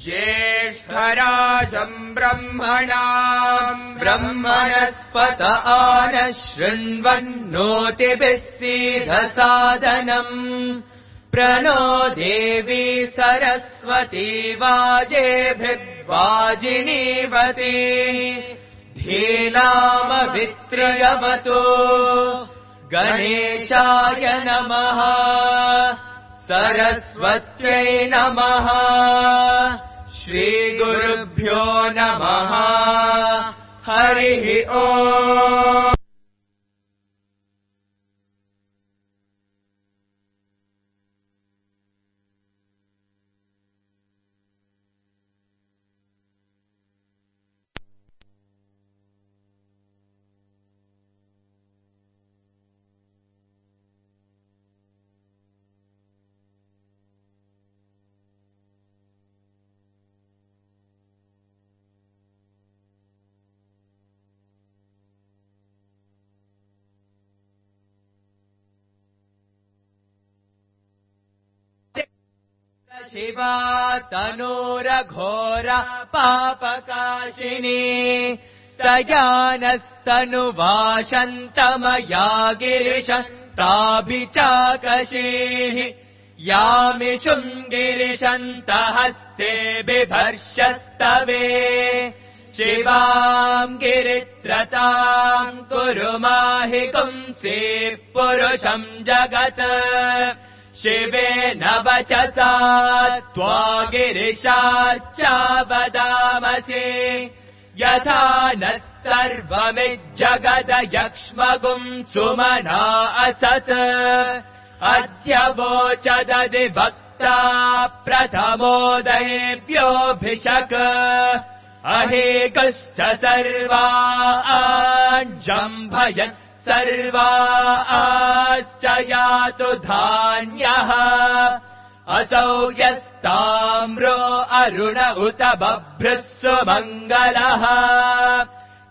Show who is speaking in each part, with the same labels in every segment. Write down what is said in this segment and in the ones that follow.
Speaker 1: ज्येष्ठराजम् ब्रह्मणस्पत आनः शृण्वन्नोतिभिः सीदसादनम् प्रणो देवी सरस्वती वाजेभिर्वाजिनीवती धीनामभित्र्यवतु गणेशाय नमः सरस्वत्यै नमः श्रीगुरुभ्यो नमः हरिः ओम्। शिवा तनूरघोर पापकाशिनी तयानस्तनुवाशन्तमया गिरिशन्ताभिचाकशीः यामिषुम् गिरिशन्तहस्ते बिभर्षस्तवे शिवाम् गिरित्रताम् कुरु माहि पुंसे पुरुषम् जगत् शिवेन वचसा त्वा गिरिशार्चा वदामसि यथा नः सर्वमिज्जगदयक्ष्मगुम् सुमना असत् अद्य वोचदधिवक्ता प्रथमोदयेभ्योऽभिषक् अहेकश्च सर्वाञ्जम्भयन् सर्वाश्च यातु धान्यः असौ यस्ताम्रो अरुण उत बभ्रुः सुमङ्गलः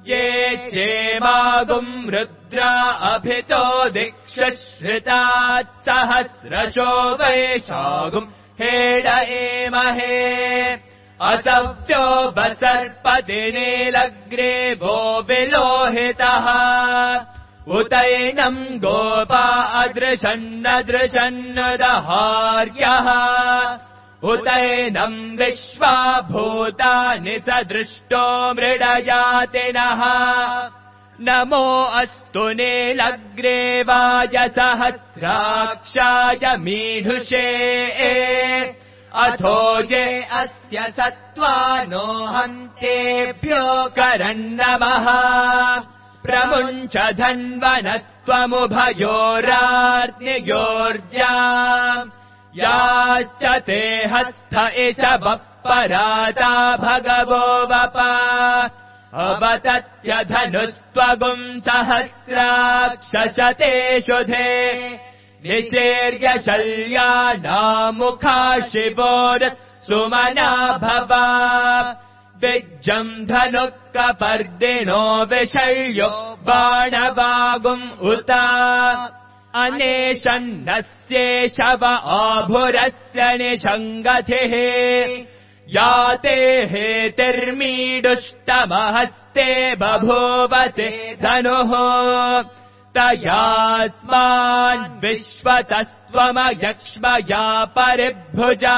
Speaker 1: ये चेमागुम् रुद्रा अभितो दिक्षुश्रितात् सहस्रशो वैशागुम् हेड एमहे असव्यो वसर्पतिनीलग्रीवो विलोहितः उतैनम् गोपा अदृशन्नदृशन्नदहार्यः उतैनम् विश्वा भूतानि सदृष्टो मृडजातिनः नमो अस्तु नीलग्रीवाय सहस्राक्षाय मीढुषे अथो ये अस्य सत्त्वानो हन्तेभ्यो करन्नमः प्रमुञ्च धन्वनस्त्वमुभयोरार्नियोर्जा याश्च ते हस्थ इषवः पराता भगवो वप अवतत्यधनुस्त्वगुम् सहस्राक्षशते शुधे निचेर्यशल्यानामुखा शिवोरः सुमना भवा विज्जम् धनुः कपर्दिनो विशल्यो बाणवागुम् उत अनेशन्नस्येषव आभुरस्य निषङ्गतिः याते हेतिर्मीडुष्टमहस्ते बभूवते धनुः तयास्मान् विश्वतस्त्वमयक्ष्मया परिभुजा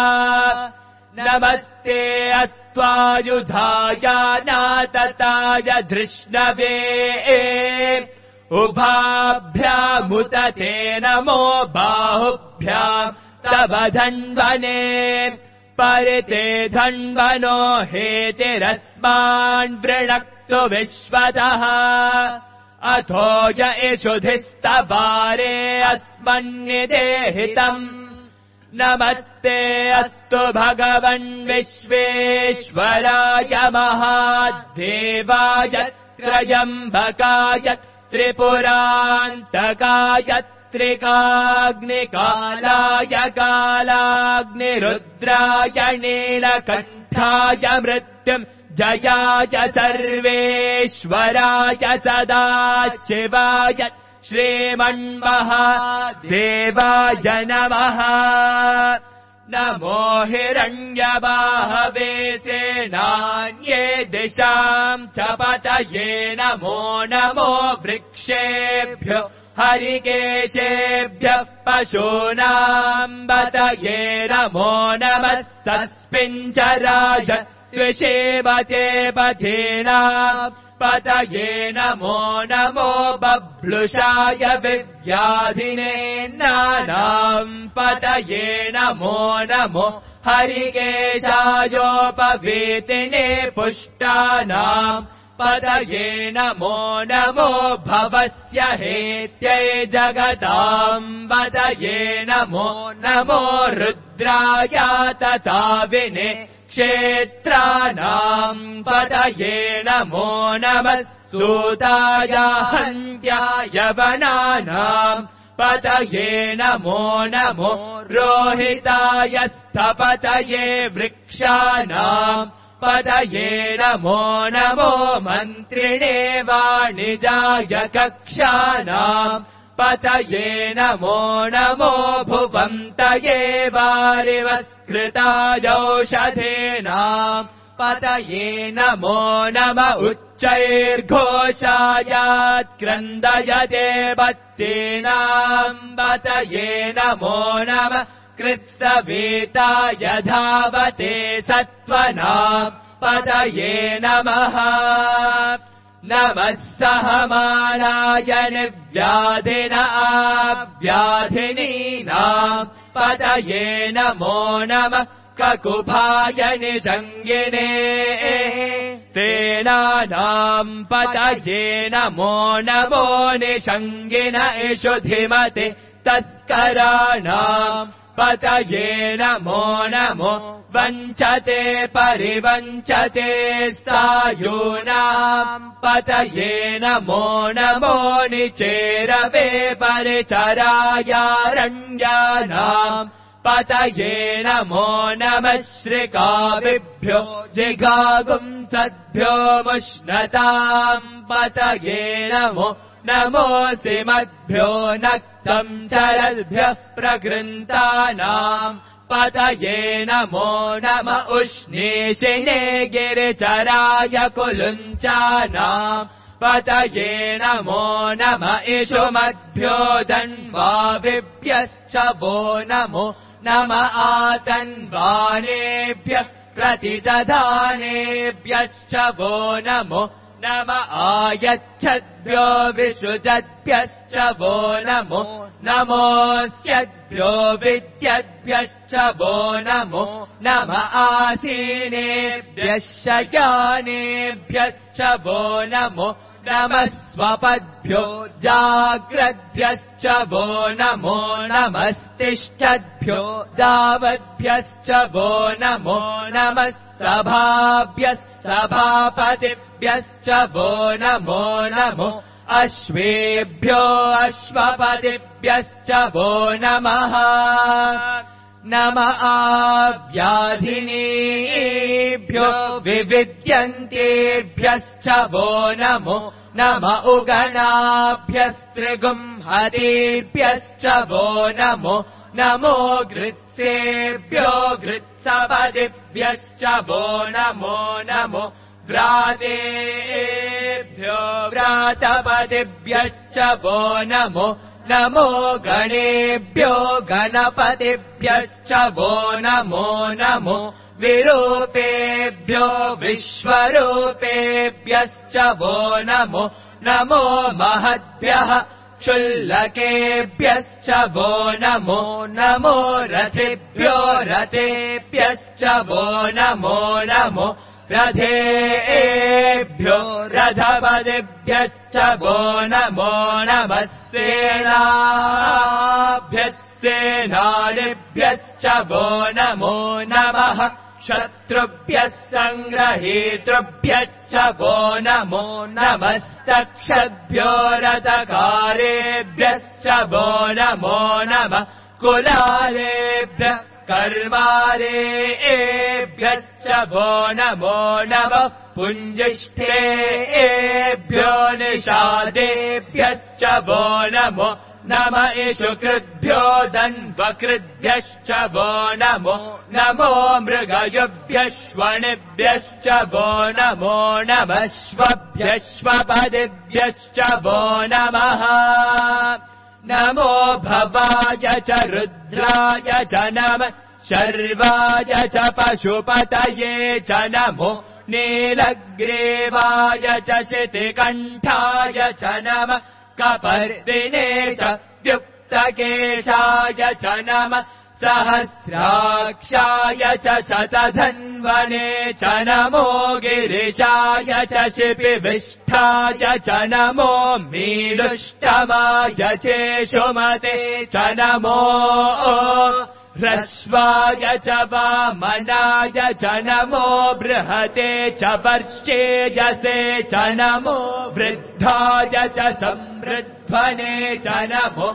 Speaker 1: नमस्ते अस्त्वायुधाय नातताय धृष्णवे उभाभ्यामुत ते नमो बाहुभ्याम् तव धन्वने परिते धन्वनो हेतिरस्मान् वृणक्तु विश्वतः अथो य इषुधिस्तवारे अस्मन्निदेहितम् नमस्ते अस्तु भगवन् विश्वेश्वराय महादेवाय त्रयम्बकाय त्रिपुरान्तकाय त्रिकाग्निकालाय कालाग्निरुद्राय नीलकण्ठाय मृत्युम् जयाय सर्वेश्वराय सदाशिवाय श्रीमन्महादेवाय नमः। नमो हिरण्यबाहवे सेनान्ये दिशाम् च पतये नमो नमो वृक्षेभ्यो हरिकेशेभ्यः पशूनाम् पतये नमो नमः सस्मिञ्चराय त्रिषेवते पथेनाम् पतये नमो नमो बभ्लुषाय विव्याधिने नानाम् पतये नमो नमो हरिकेशायोपवीतिने पुष्टानाम् पतये नमो नमो भवस्य हेत्यै जगताम् पतये नमो नमो रुद्राय तथा विने क्षेत्राणाम् पतये नमो नमः सूताय हन्त्याय वनानाम् पतये नमो नमो रोहिताय स्थपतये वृक्षाणाम् पतये नमो नमो मन्त्रिणे वाणिजाय कक्षाणाम् पतये नमो नमो भुवन्तये वारिवस्कृतायौषधेनाम् पतये नमो नम उच्चैर्घोषायात्क्रन्दयते बत्तीनाम् पतये नमो नम कृत्सवेताय धावते सत्त्वनाम् पतये नमः। नमः सहमानाय निर्व्याधिन आव्याधिनीनाम् पतये नमो नमः ककुभाय निषङ्गिने सेनानाम् पतये नमो नमो निषङ्गिन इषुधिमते तस्कराणाम् पतये नमो नमो वञ्चते परिवञ्चते स्थायूनाम् पतये नमो नमो निचेरवे परिचरायारण्यानाम् पतये नमो नमः श्रिकाविभ्यो जिगागुंसद्भ्यो मुष्णताम् पतये नमो नमोऽसि मद्भ्यो नक्तम् चरद्भ्यः प्रगृन्तानाम् पतये नमो नम उष्णीषिणे गिरिचराय कुलुञ्चानाम् पतये नमो नम इषुमद्भ्यो धन्वाविभ्यश्च वो नमो नम आतन्वानेभ्यः प्रतिदधानेभ्यश्च वो नमो नम आयच्छद्भ्यो विसृजद्भ्यश्च वो नमो नमोऽस्यद्भ्यो विद्यद्भ्यश्च वो नमो नम आसीनेभ्यः शयानेभ्यश्च वो नमो नमः स्वपद्भ्यो जाग्रद्भ्यश्च वो नमो नमस्तिष्ठद्भ्यो दावद्भ्यश्च वो नमो नमः सभाभ्यः सभापतिभ्यश्च वो नमो नमो अश्वेभ्यो अश्वपतिभ्यश्च वो नमः। नम आव्याधिनीभ्यो विविद्यन्तेभ्यश्च वो नमो नम उगणाभ्यस्त्रिगुंहतेभ्यश्च वो नमो नमो घृत्सेभ्यो घृत्सपतिभ्यश्च वो नमो नमो व्रातेभ्यो व्रातपतिभ्यश्च वो नमो नमो गणेभ्यो गणपतिभ्यश्च वो नमो नमो विरूपेभ्यो विश्वरूपेभ्यश्च वो नमो नमो महद्भ्यः क्षुल्लकेभ्यश्च वो नमो नमो रथेभ्यो रथेभ्यश्च वो नमो नमो रथेभ्यो रथपतिभ्यश्च वो नमो नमः सेनाभ्यः सेनानिभ्यश्च वो नमो नमः शत्रुभ्यः सङ्ग्रहेतृभ्यश्च वो नमो नमस्तक्षद्भ्यो रथकारेभ्यश्च वो नमो नमः कुलालेभ्यः कर्मारेभ्यश्च वो नमो नमः पुञ्जिष्ठेभ्यो निषादेभ्यश्च वो नमो नम इषु कृद्भ्यो दन्वकृद्भ्यश्च वो नमो नमो मृगयुभ्यश्वणिभ्यश्च वो नमो नमश्वभ्यश्वपदिभ्यश्च वो नमः नमो भवाय च रुद्राय च नमः शर्वाय च पशुपतये च नमो नीलग्रीवाय च शितिकण्ठाय च नमः कपर्दिने च द्युक्तकेशाय च नमः सहस्राक्षाय च शतधन्वने च नमो गिरिशाय च शिपिविष्ठाय च नमो मीलुष्टमाय चेषुमते च नमो ह्रस्वाय च वामनाय च नमो बृहते च पर्षेजसे च नमो वृद्धाय च संवृध्वने च नमो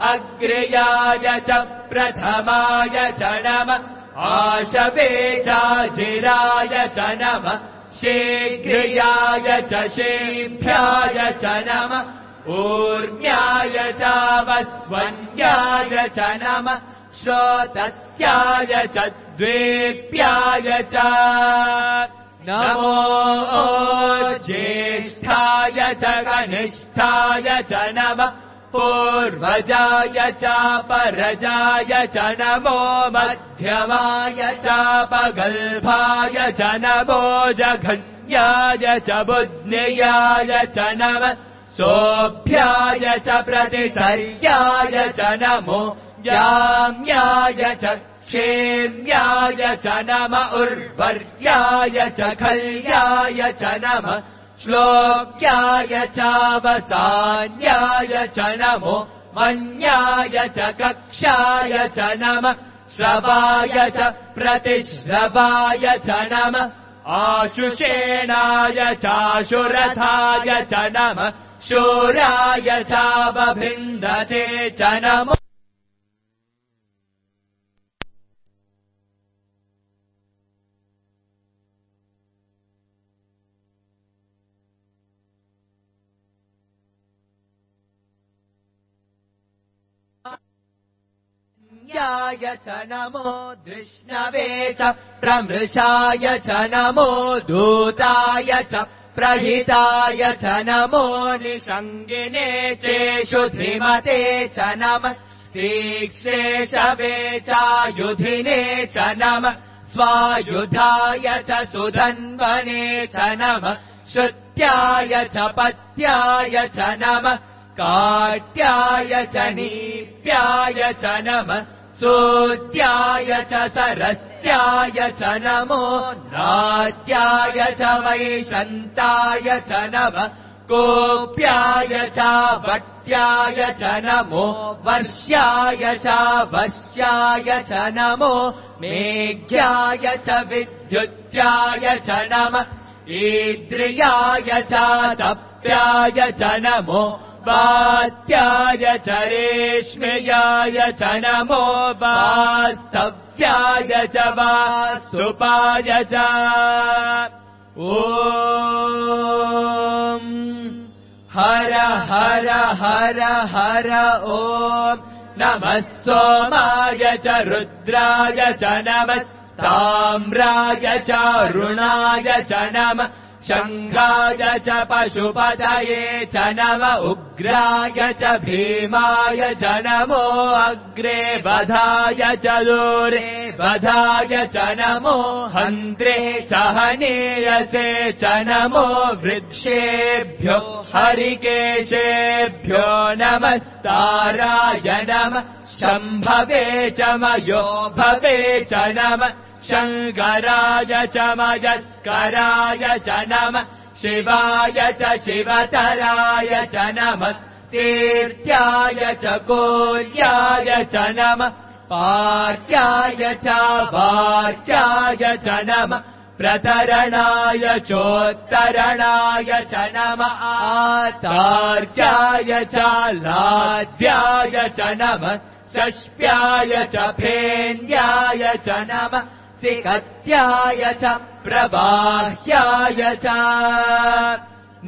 Speaker 1: अग्र्याय च प्रथमाय च नमः आशवे चाजिराय च नमः शीघ्र्याय च शीभ्याय च नमः ऊर्ण्याय च वस्वन्याय च नमः श्रोतस्याय च द्वेप्याय च नमो ज्येष्ठाय च कनिष्ठाय च नमः पूर्वजाय च परजाय च नमो मध्यमाय च पगल्भाय च नमो जघन्याय च बुद्ध्याय च नमः सोऽभ्याय च प्रतिसर्याय च नमो याम्याय च क्षेम्याय च नमः उर्वर्याय च खल्याय च नमः श्लोक्याय च वसान्याय च नमो मन्याय च कक्षाय च नमः श्रवाय च प्रतिश्रवाय च नमः आशुषेणाय चाशुरथाय च नमः शूराय च बभिन्दते च नमो याय च नमो दृष्णवे च प्रमृषाय च नमो दूताय च प्रहिताय च नमो निषङ्गिने चेषु धीमते च नमः तीक्ष्णेशवे चायुधिने च नमः स्वायुधाय च सुधन्वने च नमः श्रुत्याय च पत्याय च नमः काट्याय च नीप्याय च नमः सूत्याय च सरस्याय च नमो नाट्याय च वैशन्ताय च नमः कोप्याय च वट्याय च नमो वर्ष्याय च वश्याय च नमो मेघ्याय च विद्युत्याय च नमः ईद्रियाय च तप्याय च नमो वात्याय च रेश्मयाय च नमो वास्तव्याय च वास्तुपाय च ॐ हर हर हर हर ॐ नमः सोमाय च रुद्राय च नमः ताम्राय च रुणाय च नमः शङ्खाय च पशुपतये च नमः उग्राय च भीमाय च नमो अग्रे वधाय च दूरे वधाय च नमो हन्त्रे च हनीयसे च नमो वृक्षेभ्यो हरिकेशेभ्यो नमस्ताराय नमः शम्भवे च मयो भवे च नमः शङ्कराय च मयस्कराय च नमः शिवाय च शिवतराय च नमः तीर्थ्याय च कोल्याय च नमः पार्याय च वार्याय च नमः प्रतरणाय चोत्तरणाय च नमः आतार्याय च लाद्याय च नमः षष्प्याय च फेन्याय च नमः सिकत्याय च प्रबाह्याय च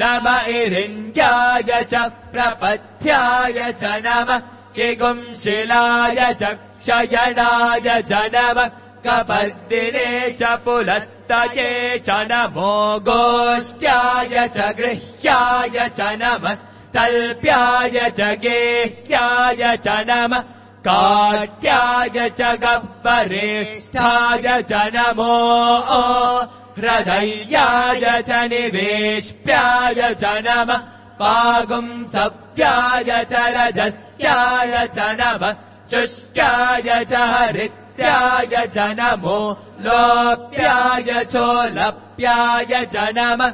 Speaker 1: नम इरिन्द्याय च प्रपथ्याय च नम किगुंशिलाय च क्षयणाय च नम कपर्दिने च पुलस्तये च नमो गोष्ट्याय च गृह्याय च नमः स्तल्प्याय च गेह्याय च नमः काट्याय च गह्वरेष्ठाय च नमो हृदयाय च निवेश्याय च नमः पागुंसव्याय च रजस्याय च नमः शुष्काय च हरित्याय च नमो लोप्याय चोलप्याय च नमः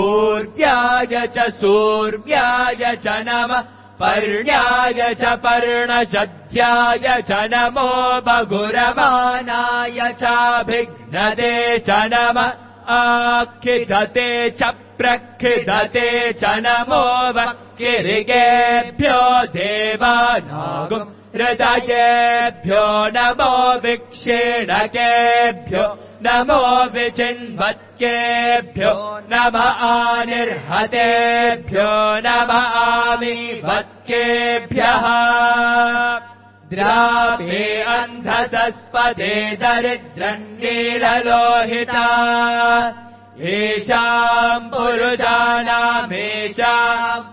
Speaker 1: ऊर्व्याय च सूर्व्याय च नमः पर्ण्याय च पर्णशद्याय च नमो बगुरमानाय चाभिघ्नदे च नमः आखिदते च प्रखिदते च नमो वक्किरिगेभ्यो देवानागुम् हृदयेभ्यो नमो विक्षीणकेभ्यो नमो विचिन्वत्केभ्यो नमः आनिर्हतेभ्यो नमः आमीवत्केभ्यः द्रापे अन्धसस्पदे दरिद्रन्नीललोहिता येषाम् पुरुषाणामेषाम्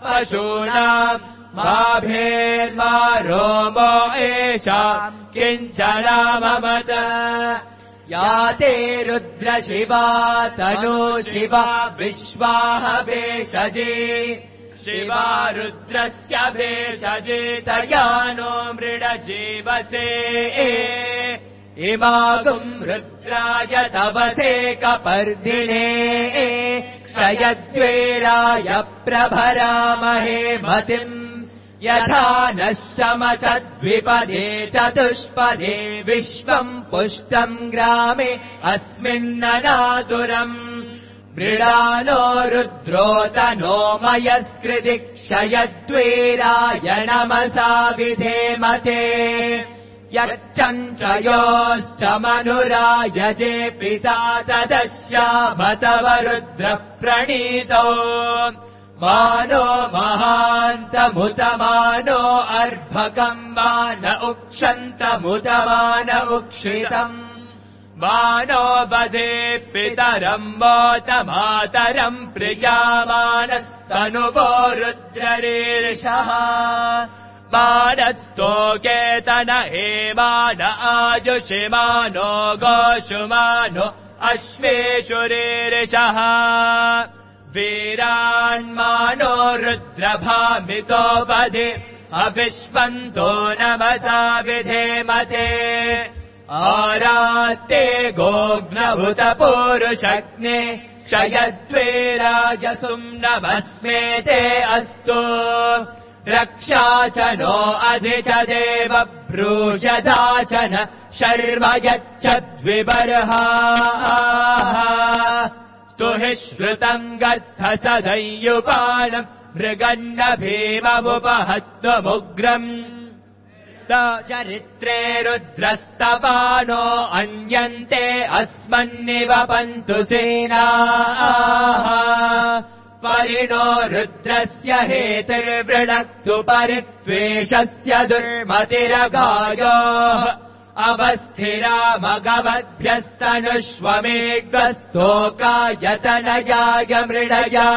Speaker 1: पशूनाम् माभेर्मा रोमो येषाम् किञ्चनाममत या ते रुद्रशिवा तनु शिवा विश्वाह भेषजे शिवा रुद्रस्य भेषजे तया नो मृडजीवसे इमागुम् रुद्राय तवसे कपर्दिने क्षयद्वेराय प्रभरामहे मतिम् यथा नः शमसद्विपदे चतुष्पदे विश्वम् पुष्टम् ग्रामे अस्मिन्ननातुरम् मृडानो रुद्रो तनो मयस्कृति क्षयद्वेराय नमसा विधेमते यच्चञ्चयोश्च मनुरायजे पिता तदश्यामतव रुद्रः प्रणीतो मानो महान्तमुतमानो अर्भकम् मान उक्षन्तमुतमान उक्षितम् मानो बधे पितरम् मोतमातरम् प्रियामानस्तनुवो रुद्ररीर्षः मानस्तोकेतन हेमान आजुषिमानो गोषुमानो अश्वेषुरीर्षः वीरान्मानो रुद्रभामितो वधे अविश्वन्तो नमसा विधेमते आरात्ते गोघ्नभूत पूरुषग्ने क्षयद्वेराजसुम् नमस्मेते अस्तु रक्षा च नो अधि च देव ब्रूषदा च न शर्म यच्छद्विबर्हाः स्तुहि श्रुतम् गत्थ सदय्युपानम् मृगन्न भीममुपहत्वमुग्रम् चरित्रे रुद्रस्तपानो अन्यन्ते अस्मन्निवपन्तु सेनाः परिणो रुद्रस्य हेतिर्वृणक्तु परित्वेषस्य दुर्मतिरगायोः अवस्थिरामगवद्भ्यस्तनुष्वमेघ्वस्तोकायतनयाय मृडया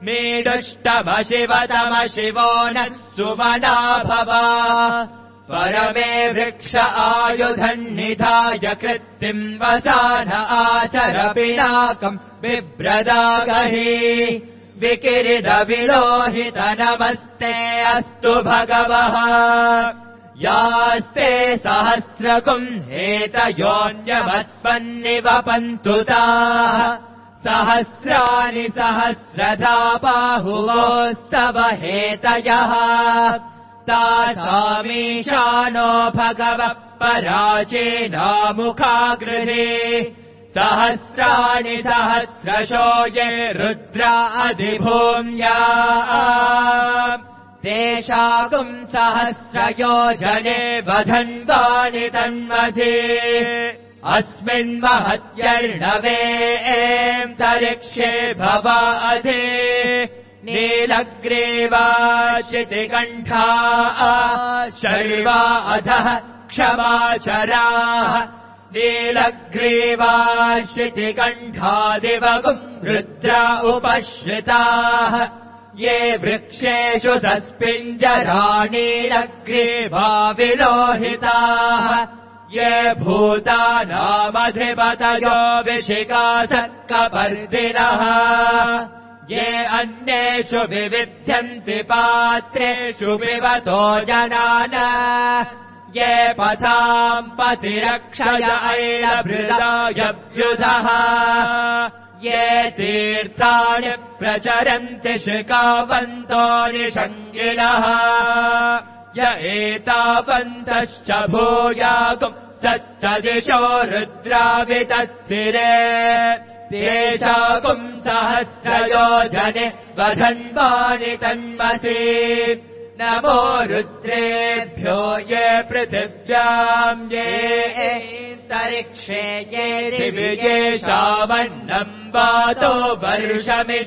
Speaker 1: मीडुष्टमशिवतमशिवो नः सुमना भवा परमे वृक्ष आयुधन्निधाय कृत्तिम् वसान आचर पिनाकम् बिभ्रदागहि विकिरिदविलोहित नमस्ते अस्तु भगवः यास्ते सहस्रकुम् हेतयोऽन्यमस्मन्निवपन्तु ताः सहस्राणि सहस्रधा बाहुवोस्तव हेतयः तासामीशानो भगवः पराचेनामुखागृहे सहस्राणि सहस्रशो ये रुद्रा अधिभूम्या तेषागुम् सहस्रयोजने वधन्वानि तन्मध्ये अस्मिन्महत्यर्णवेऽन्तरिक्षे भवाधे नीलग्रीवाशितिकण्ठा शर्वा अधः क्षमाचराः नीलग्रीवाशितिकण्ठादिवगुम् रुद्रा उपश्रिताः ये वृक्षेषु सस्पिञ्जराणीलग्रीवा विलोहिताः ये भूतानामधिपतयो विशिकासक्कपर्दिनः ये अन्येषु विविध्यन्ति पात्रेषु विवतो जनान ये पथाम् पतिरक्षय ऐलभृदायभ्युधः ये तीर्थानि प्रचरन्ति शिखावन्तो निषङ्गिणः य एतावन्तश्च भूयागुंसश्च दिशो रुद्रावितस्थिरे तेषागुम् सहस्रयोजने वधन्वानि तन्मसि नमो रुद्रेभ्यो ये पृथिव्याम् ये तरिक्षे ये दिविजेषामन्नम् वातो वर्षमिषवस्तेभ्यो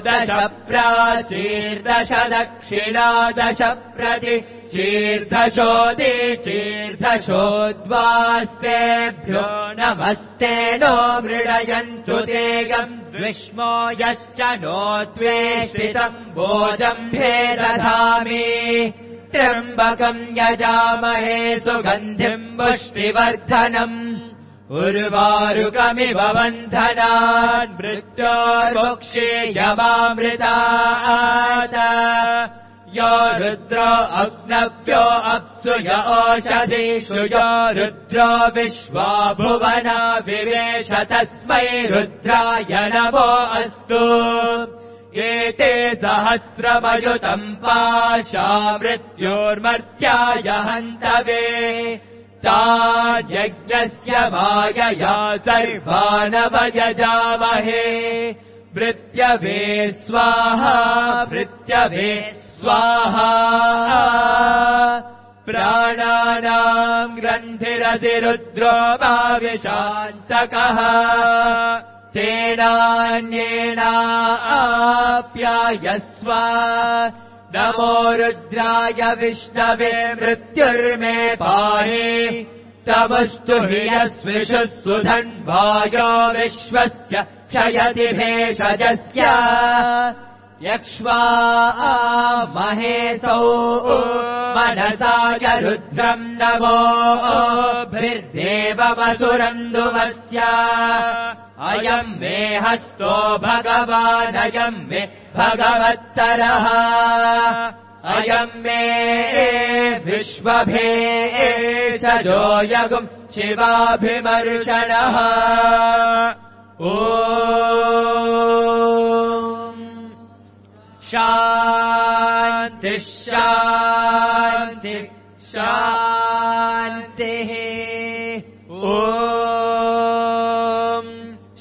Speaker 1: दश प्राचीर्दश दक्षिणा दश प्रति चीर्धशोदि चीर्धशोद्वास्तेभ्यो नमस्ते नो मृडयन्तु तेगम् द्विष्मो यश्च नो त्वेष्टितम् भोजम्भे दधामि त्र्यम्बकम् यजामहे सुगन्धिम् पुष्टिवर्धनम् उर्वारुकमिव बन्धनान् मृत्योर्मुक्षीयमामृतात् यो रुद्रो अग्नव्यो अप्सु य ओषधीषु यो रुद्रो विश्वा भुवना विवेश तस्मै रुद्राय नमो अस्तु एते सहस्रमयुतम् पाशा मृत्योर्मर्त्याय हन्तवे तान्यज्ञस्य मायया सर्वानवयजामहे मृत्यवे स्वाहा मृत्यवे स्वाहा प्राणानाम् ग्रन्थिरधिरुद्रो भाविशान्तकः तेनान्येनाप्यायस्व नमो रुद्राय विष्णवे मृत्युर्मे पाहि तमस्तु हि यस्विषु सुधन्वायो विश्वस्य क्षयति भेषजस्य यक्ष्वा महेशौ मनसाय रुद्रम् नमो भृर्देववसुरन्दुवस्य अयम् मे हस्तो भगवानयम् मे भगवत्तरः अयम् मे विश्वभेषजो यगुम् शिवाभिमर्शनः ॐ शान्तिः शान्तिः शान्तिः ॐ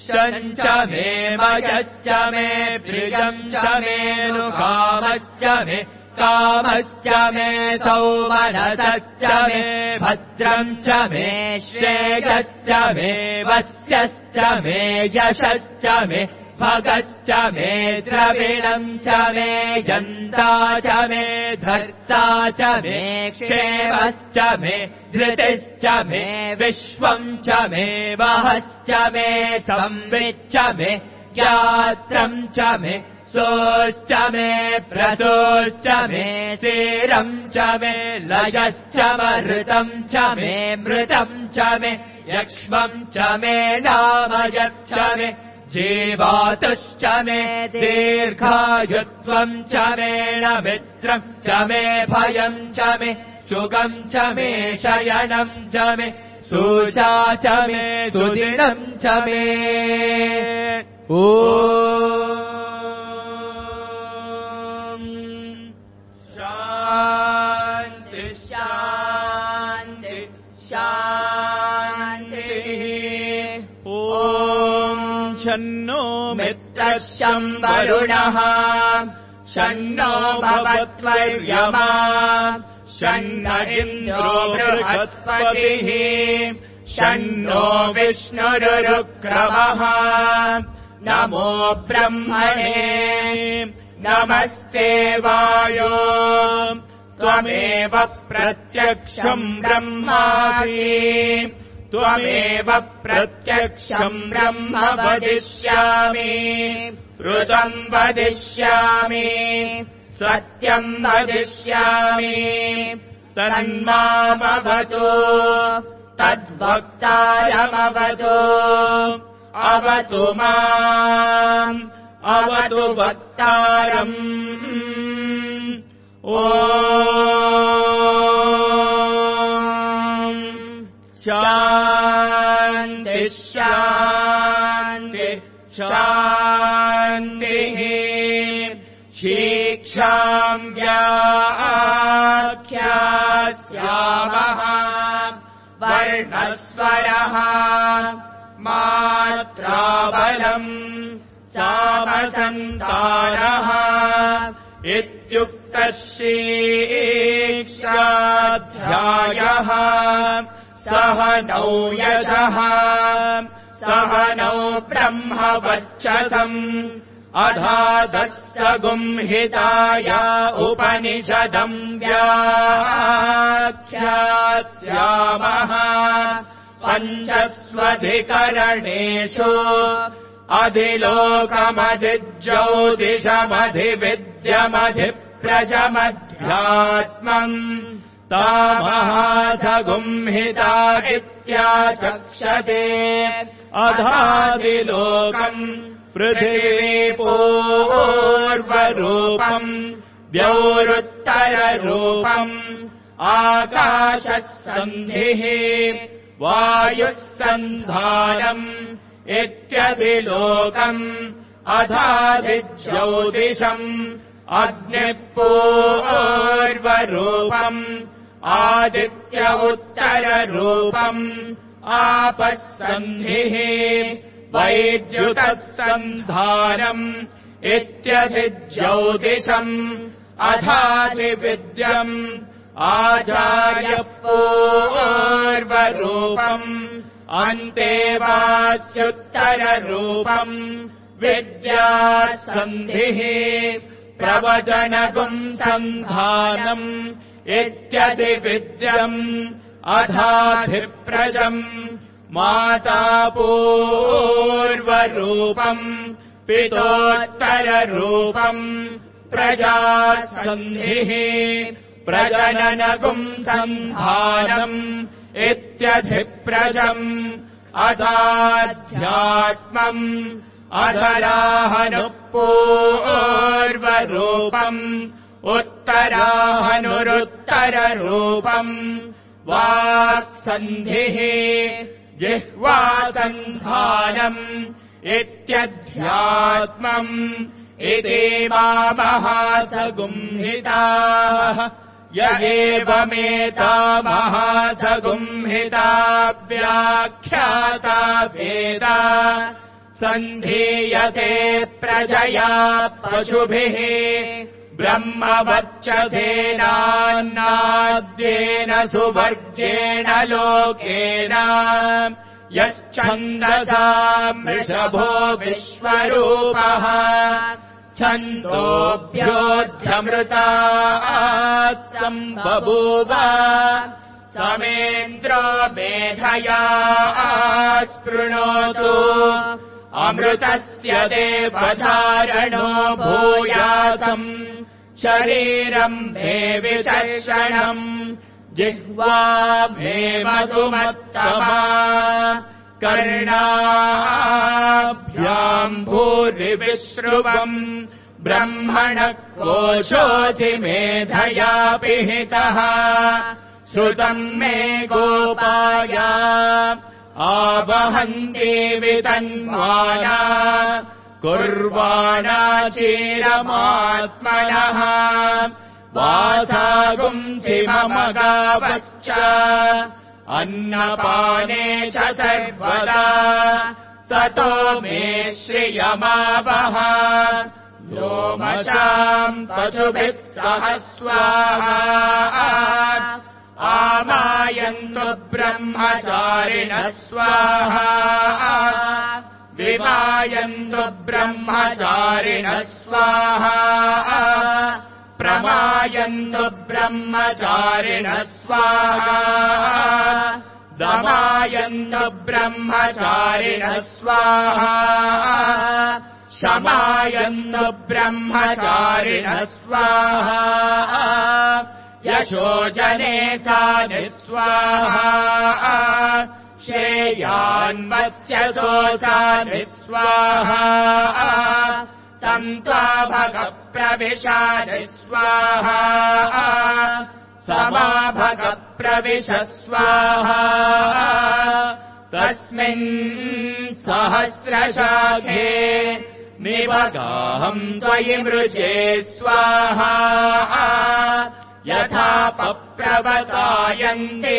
Speaker 1: शञ्च मे मयश्च मे प्रियम् च मे नुकामश्च मे कामश्च मे सौमनसश्च मे भद्रम् च मे श्रेयश्च मे वस्यश्च मे यशश्च मे भगश्च मे द्रविणम् च मे यन्ता च मे धर्ता च मे क्षेमश्च मे धृतिश्च मे विश्वम् च मे वहश्च मे संविच्च मे ज्ञात्रम् च मे सोश्च मे प्रसोश्च मे सीरम् च मे लयश्च मृतम् च मे मृतम् च मे यक्ष्मम् च मे नामयच्च मे जीवातुश्च मे दीर्घायुत्वम् च मे मित्रम् च मे भयम् च मे सुखम् च मे शयनम् च मे सुषा च मे सुदिनम् च मे ॐ शान्ति शान्ति शान्तिः ॐ शन्नो मित्रः शं वरुणः शन्नो भवत्वर्यमा शन्न इन्द्रो बृहस्पतिः शन्नो विष्णुरुक्रमः नमो ब्रह्मणे नमस्ते वायो त्वमेव प्रत्यक्षम् ब्रह्मासि त्वमेव प्रत्यक्षम् ब्रह्म वदिष्यामि ऋतम् वदिष्यामि सत्यम् वदिष्यामि तन्मामवतु तद्वक्तारमवतु अवतु माम् अवतु वक्तारम् ॐ शान्ति शान्ति शान्तिः शीक्षाम् व्याख्यास्यामः वर्णस्वरः मात्राबलम् सामसन्तानः इत्युक्तः शीर्षाध्यायः सह नौ यशः सह नौ ब्रह्मवच्चतम् अधादस्य गुंहिताया उपनिषदम् व्याख्यास्यामः पञ्चस्वधिकरणेषु अधिलोकमधिज्योतिषमधिविद्यमधिप्रजमध्यात्मम् तामहासगुंहिता इत्याचक्षते अधादिलोकम् पृथिवीपूर्वरूपम् द्यौरुत्तररूपम् आकाशः सन्धिः वायुः सन्धानम् इत्यदिलोकम् अधादिज्योतिषम् अग्निः पूर्वरूपम् आदित्य उत्तररूपम् आपः सन्धिः वैद्युतः सन्धानम् इत्यधिज्योतिषम् अधादिविद्यम् आचार्य पूर्वरूपम् अन्तेवास्युत्तररूपम् विद्यासन्धिः प्रवचनगुम् सन्धानम् इत्यधिविद्यम् अधाधिप्रजम् माता पूर्वरूपम् पितोत्तररूपम् प्रजासन्धिः प्रजननगुम् सन्धानम् इत्यधिप्रजम् अधाध्यात्मम् अधराहनुपूर्वरूपम् उत्तराहनुरुत्तररूपम् वाक्सन्धिः जिह्वासन्धानम् इत्यध्यात्मम् इति महासगुंहिताः य एवमेतामहासगुंहिता व्याख्याता वेद सन्धीयते प्रजया पशुभिः ब्रह्मवर्चसेनान्नाद्येन सुवर्गेण लोकेन यश्छन्दसा वृषभो विश्वरूपः छन्दोभ्योऽध्यमृतात् सम्बभूव समेन्द्रो मेधया स्पृणोतु अमृतस्य देवधारणो भूयासम् शरीरम् मे विचर्षणम् जिह्वा मे मधुमत्तमा कर्णाभ्याम् भूरिविश्रुवम् ब्रह्मणः कोशोऽसि मेधया पिहितः श्रुतम् मे गोपाय आवहन्ति वितन्वाना कुर्वाणा चिरमात्मनः वासागुंसि मम गावश्च अन्नपाने च सर्वदा ततो मे श्रियमावह व्योमशाम् पशुभिः
Speaker 2: सह स्वाहा आमायन्तु ब्रह्मचारिणः स्वाहा विमायन्तु ब्रह्मचारिणः स्वाहा प्रमायन्तु ब्रह्मचारिणः स्वाहा दमायन्तु ब्रह्मचारिणः स्वाहा शमायन्तु ब्रह्मचारिणः स्वाहा यशोजने सानि स्वाहा श्रेयान्वस्य सोऽसानि स्वाहा तन्त्वा भगप्रविशानि स्वाहा समाभगप्रविश स्वाहा तस्मिन् सहस्रशाखे निवगाहम् त्वयि मृजे स्वाहा यथा पप्रवतायन्ते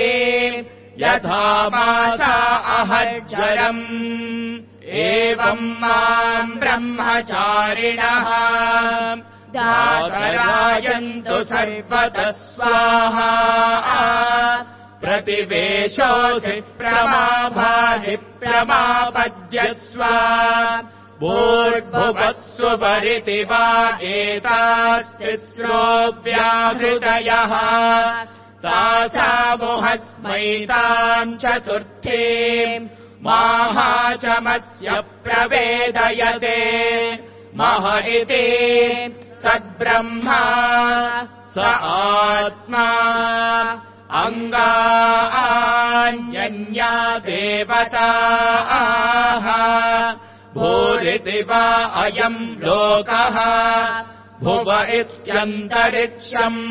Speaker 2: यथा माता अहज्जरम् एवम् माम् ब्रह्मचारिणः दातरायन्तु सर्वतः स्वाहा प्रतिवेशोऽसि प्रमाभानि प्रमापद्यस्व भूर्भुवः सुपरिति वा एतास्तिस्रो व्याहृतयः तासामुहस्मैताम् चतुर्थीम् माहाचमस्य प्रवेदयते मह इति तद्ब्रह्मा स आत्मा अङ्गान्यन्या देवताः भूरिति वा अयम् लोकः भुव इत्यन्तरिक्षम्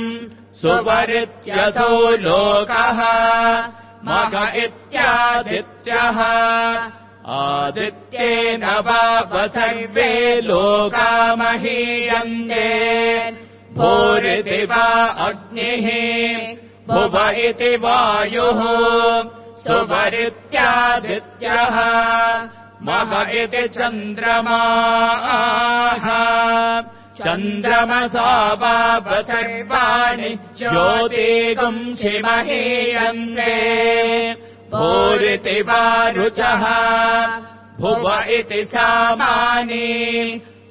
Speaker 2: सुवरित्यथो लोकः मग इत्यादित्यः आदित्येन वाव सर्वे लोका महीयन्ते भूरिति वा अग्निः भुव इति वायुः सुवरित्यादित्यः मग इति चन्द्रमाः चन्द्रमसा वाव सर्वाणि ज्योतिगुंसि महीयन्ते भूरिति वा रुचः भुव इति सामानि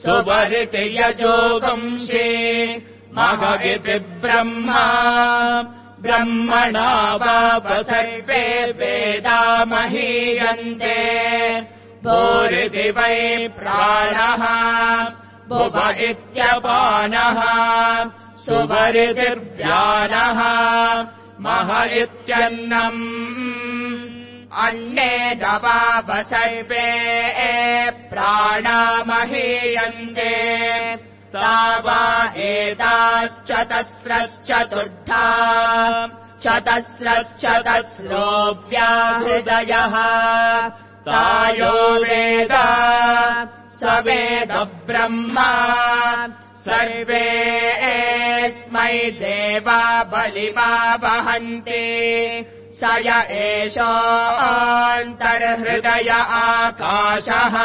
Speaker 2: सुवरिति यजोगुंसि मग इति ब्रह्मा ब्रह्मणा वाव सर्वे वेदा महीयन्ते भूरिति वै प्राणः भुव इत्यपानः सुवरितिर्व्यानः मह इत्यन्नम् अन्नेन वाव सर्वे प्राणा महीयन्ते तावा एताश्चतस्रश्चतुर्धा चतस्रश्चतस्रो व्याहृदयः तायो वेद स वेद ब्रह्मा सर्वेऽस्मै देवा बलिमा वहन्ति स य एषोऽन्तर्हृदय आकाशः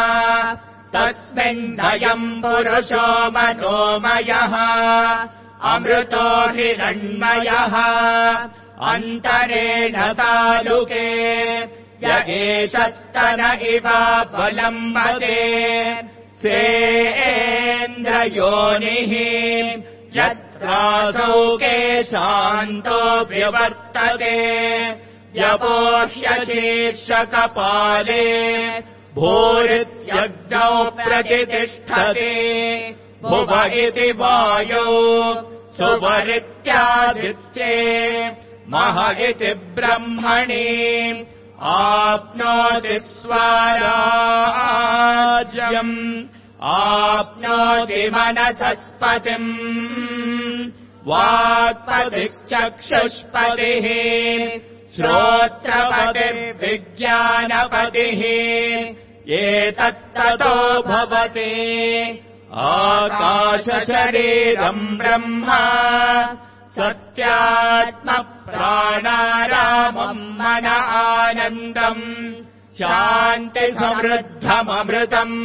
Speaker 2: तस्मिन्नयम् पुरुषो मनोमयः अमृतो हिरण्मयः अन्तरेण तालुके य एषस्तन इव बलम्बते सेन्द्रयोनिः यत्रासौ केशान्तो विवर्तते यवोह्यशीर्षकपाले भूरित्यग्नौ प्रतिष्ठते भुव इति वायौ सुवरित्यादित्ये मह इति ब्रह्मणि आप्नोति स्वराज्यम् आप्नोति मनसस्पतिम् वाक्पतिश्चक्षुष्पतिः श्रोत्रपतिर्विज्ञानपतिः एतत्ततो भवति आकाशशरीरम् ब्रह्म सत्यात्मप्राणारामम् मन आनन्दम् शान्तिसमृद्धममृतम्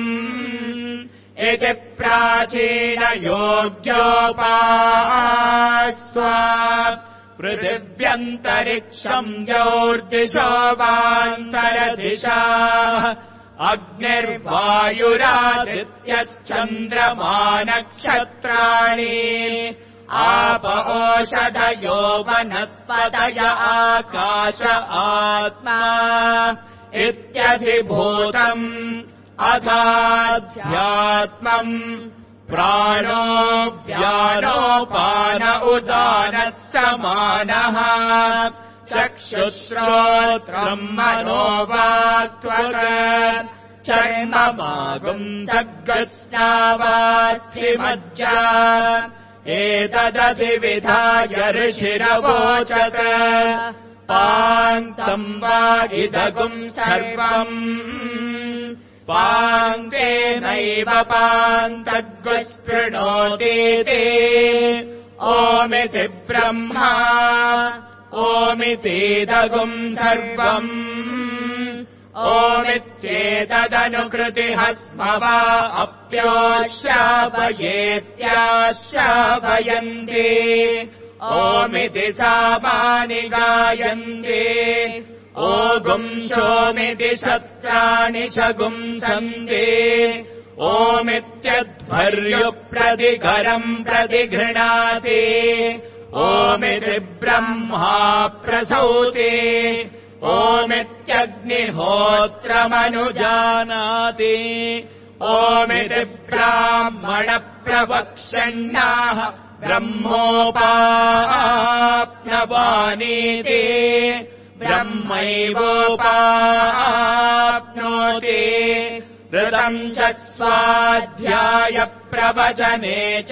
Speaker 2: इति प्राचीनयोग्योपास्व पृथिव्यन्तरिक्षम् ज्योर्दिशो वान्तरदिशाः अग्निर्वायुरादित्यश्चन्द्रमा नक्षत्राणि आप ओषधयो वनस्पतय आकाश आत्मा इत्यधिभूतम् अथाध्यात्मम् प्राणो व्यानोपान उदानः समानः चक्षुश्रोत्रम् मनो वाक्त्वक् चर्ममागुम् सर्गस्नावास्थिमज्जा एतदधिविधाय ऋषिरवोचत् पान्तम् वा इदगुम् सर्वम् पान्तेनैव पान्तद्गुस्पृणोतीति ओमिति ब्रह्मा ओमितीदगुम् सर्वम् ओमित्येतदनुकृतिः स्म वा अप्योश्रापयेत्याश्रापयन्ति ओमिति सामानि गायन्ति ओगुंशोमिति शस्त्राणि शगुंसन्ति ओमित्यध्वर्युप्रतिकरम् प्रतिगृह्णाति ओमिति ब्रह्मा प्रसौति ओमित्यग्निहोत्रमनुजानाति ओमिति ब्राह्मणप्रवक्ष्यन्नाः ब्रह्मोपाप्नवानीति ब्रह्मैवोपाप्नोति ऋतम् च स्वाध्यायप्रवचने च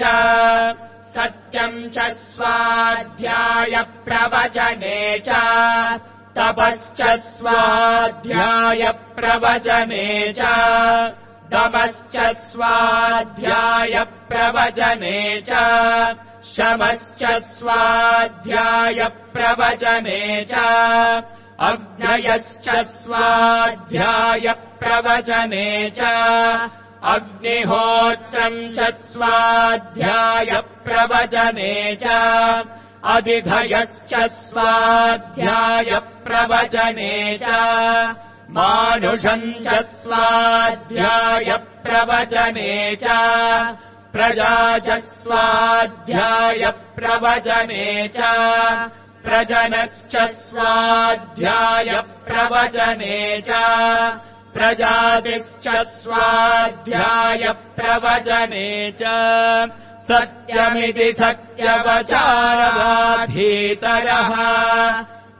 Speaker 2: सत्यम् च स्वाध्यायप्रवचने च तपश्च स्वाध्यायप्रवचने च दमश्च स्वाध्यायप्रवचने च शमश्च स्वाध्यायप्रवचने च अग्नयश्च स्वाध्यायप्रवचने च अग्निहोत्रम् च स्वाध्यायप्रवचने च अधिधयश्च स्वाध्यायप्रवचने च मानुषम् च स्वाध्यायप्रवचने च प्रजा च स्वाध्यायप्रवचने च प्रजनश्च स्वाध्यायप्रवचने च प्रजातिश्च स्वाध्यायप्रवचने च सत्यमिति सत्यवचारवाधीतरः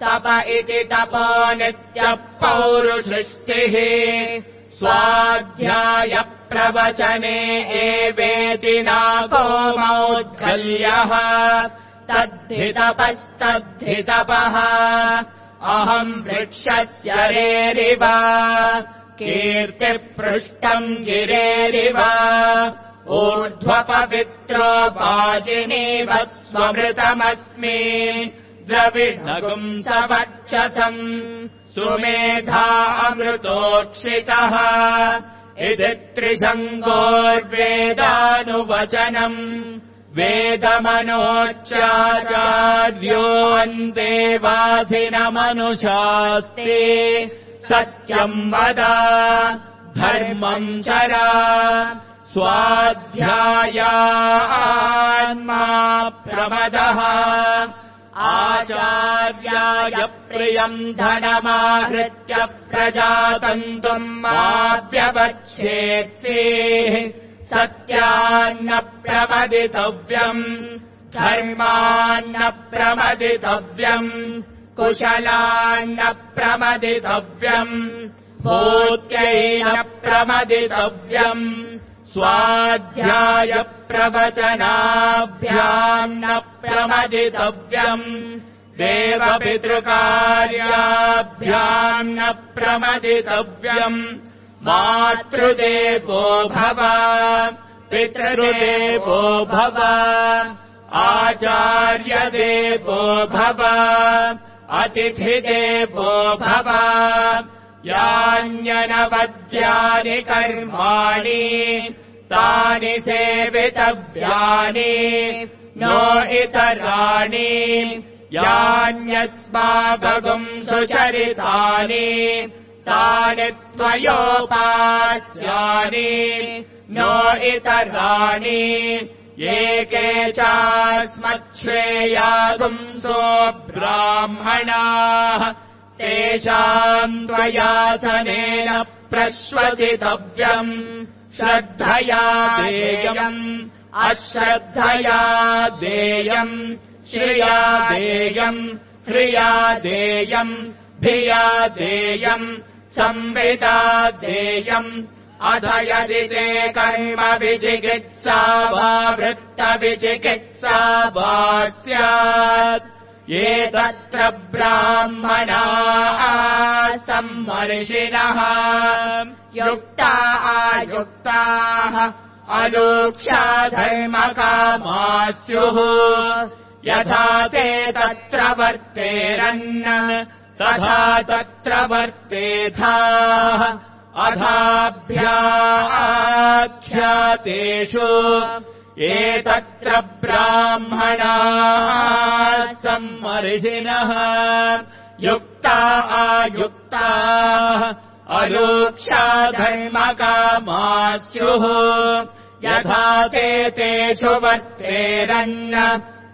Speaker 2: तप इति तपो नित्यः पौरुषृष्टिः स्वाध्यायप्रवचने एवेति नाको मौद्गल्यः तद्धि तपस्तद्धि-तपः अहम् वृक्षस्य रेरिव कीर्तिपृष्टम् गिरेरिव ऊर्ध्वपवित्रो वाजिनीव स्वमृतमस्मि द्रविणगुम् सवर्चसम् सुमेधा अमृतोक्षितः इति त्रिशङ्गोर्वेदानुवचनम् वेदमनोच्चार्योऽन्तेवाधिनमनुशास्ते सत्यम् वद धर्मम् चर स्वाध्यायान्मा प्रमदः आचार्याय प्रियम् धनमाहृत्य प्रजातन्तुम् माव्यवच्छेत्सेः सत्यान्न प्रमदितव्यम् धर्मान्न प्रमदितव्यम् कुशलान्न प्रमदितव्यम् भूत्यैन प्रमदितव्यम् स्वाध्याय प्रवचनाभ्याम् न प्रमदितव्यम् देवपितृकार्याभ्याम् न प्रमदितव्यम् मातृदेवो भव पितृदेवो भव आचार्यदेवो भव अतिथिदेवो भव यान्यनवद्यानि कर्माणि तानि सेवितव्यानि नो इतराणि यान्यस्माकगुम् सुचरितानि तानि त्वयोपास्यानि नो इतराणि ये के चास्मच्छ्रेयागुंसो ब्राह्मणाः तेषाम् त्वयासनेन प्रश्वसितव्यम् श्रद्धया देयम् अश्रद्धया देयम् श्रिया देयम् ह्रिया देयम् भिया देयम् संविदा देयम् अथ यदि ते कर्म विचिकित्सा वा वृत्तविचिकित्सा वा स्यात् ये तत्र ब्राह्मणाः सम्मर्षिणः युक्ता आयुक्ताः अलूक्ष्या धर्मकामाः स्युः यथा ते तत्र वर्तेरन् तथा तत्र वर्तेथाः अथाभ्याख्यातेषु ये तत्र ब्राह्मणाः सम्मर्षिणः युक्ता आयुक्ताः अलूक्ष्या धर्मकामाः स्युः यथा ते तेषु वर्तेरन्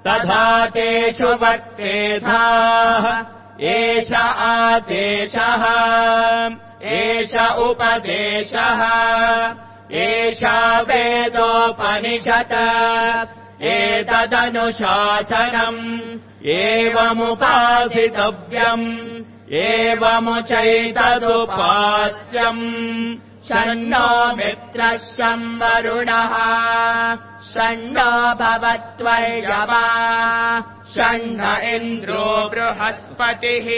Speaker 2: तथा तेषु वर्तेथाः एष आदेशः एष उपदेशः एषा वेदोपनिषत् एतदनुशासनम् एवमुपासितव्यम् एवमुचैतदुपास्यम् षण्णो मित्रः शं वरुणः षण्णो भवत्वर्यवा षण्ण इन्द्रो बृहस्पतिः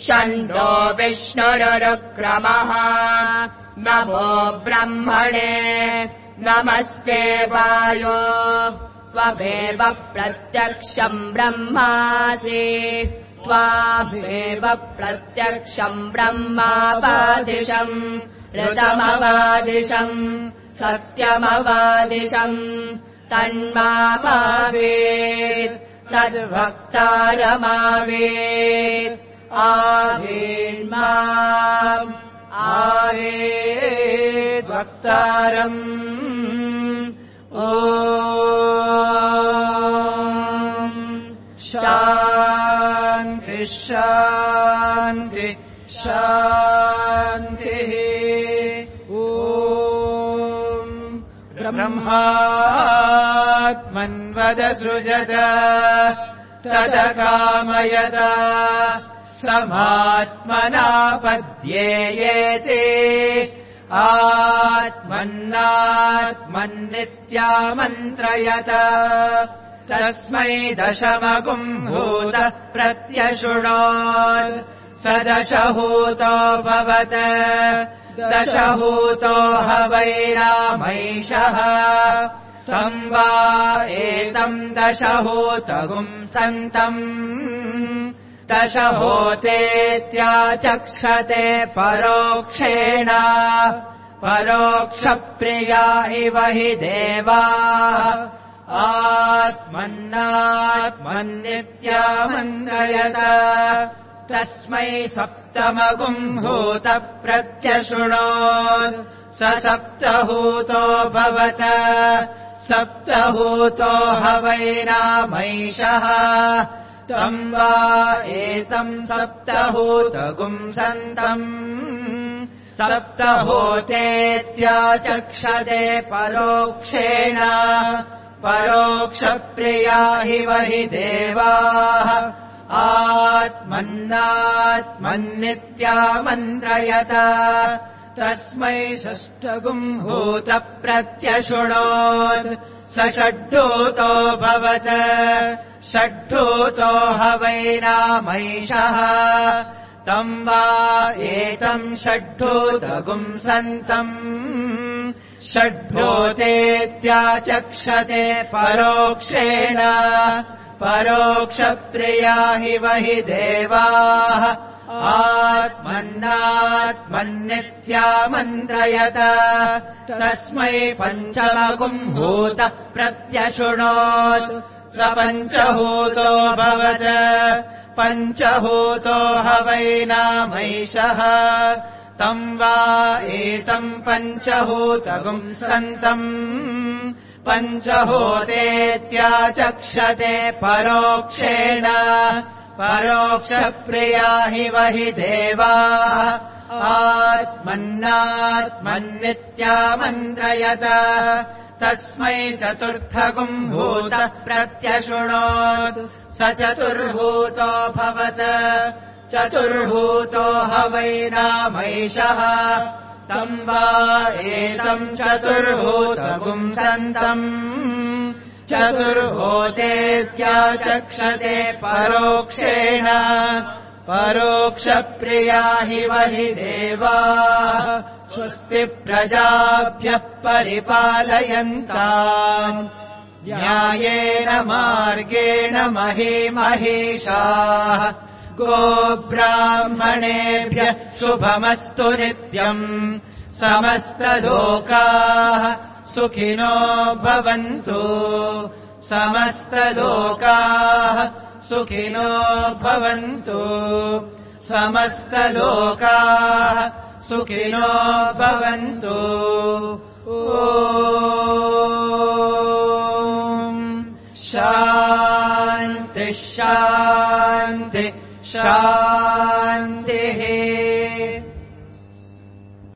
Speaker 2: षण्णो विष्णुरुक्रमः नमो ब्रह्मणे नमस्ते वायो त्वमेव प्रत्यक्षम् ब्रह्मासि त्वामेव प्रत्यक्षम् ब्रह्मावादिशम् ऋतमवादिशम् सत्यमवादिशम् तन्मावेत् तद्भक्तारमावेत् आवेन्माम् आवेत् भक्तारम् ॐ शान्ति शान्ति शान्तिः ॐ ब्रह्मात्मन्वदसृजत तदकामयत समात्मनापद्येयेते आत्मन्नात्मन्नित्यामन्त्रयत तस्मै दशमगुम् भूत प्रत्यशृणोत् स दशहूतो भवत दशहूतो ह वैरामैषः तम् वा एतम् दशहूतगुम् सन्तम् दशहोतेत्याचक्षते परोक्षेण परोक्षप्रिया इव हि देवाः आत्मन्नात्मन्नित्यामन्त्रयत तस्मै सप्तमगुम् भूत प्रत्यशृणोत् स सप्तहूतो भवत सप्तहूतो ह वैरामैषः तम् वा एतम् सप्तहूतगुम् सन्तम् सप्तहोतेत्याचक्षते परोक्षेण परोक्षप्रिया हि वहि देवाः आत्मन्नात्मन्नित्यामन्त्रयत तस्मै षष्ठगुम् भूत प्रत्यशृणोत् स षड्ढूतो भवत षड्ढूतो ह वैरामैषः तम् वा एतम् षड्ढूतगुम् सन्तम् षड्ढूतेत्याचक्षते परोक्षेण परोक्षप्रिया हि वहि देवाः आत्मन्नात्मन्नित्यामन्त्रयत तस्मै पञ्चमगुम्भूतः प्रत्यशृणोत् स पञ्चभूतोऽभवत् पञ्चभूतो ह वै नामैषः तम् वा एतम् पञ्चभूतगुम् सन्तम् पञ्चभूतेत्याचक्षते परोक्षेण परोक्षप्रिया हि वहि देवाः आत्मन्नात्मन्नित्यामन्त्रयत तस्मै चतुर्थगुम्भूतः प्रत्यशृणोत् स चतुर्भूतो भवत् चतुर्भूतो ह वै नामैषः तम् वा एतम् चतुर्भूतगुम् सन्तम् चतुर्भूतेत्याचक्षते परोक्षेण परोक्षप्रिया हि वहि देवाः स्वस्ति प्रजाभ्यः परिपालयन्ताम् न्यायेन मार्गेण महीमहीषाः गोब्राह्मणेभ्यः शुभमस्तु नित्यम् समस्तलोकाः सुखिनो भवन्तु समस्तलोकाः सुखिनो भवन्तु समस्तलोकाः सुखिनो भवन्तु ॐ शान्ति शान्ति शान्तिः